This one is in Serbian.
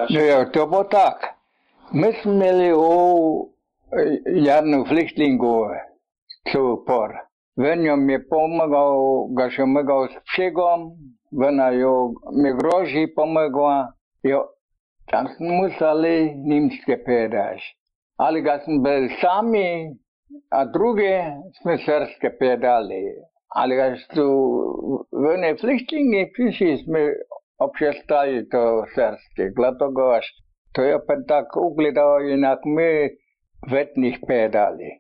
No ja, to bo tak. My smo imeli jednu flyktingu por. Venjom je pomagał, ga še mogel s všegom, vena jo mi groži pomagła. Jo, tam smo museli nimske pedaš. Ali ga smo bili sami, a druge smo srpske pedali. Ali ga su vene flyktingi prišli smo obšestali to srpske, glatogoš. To je pa tak ugledao inak mi vetnih pedali.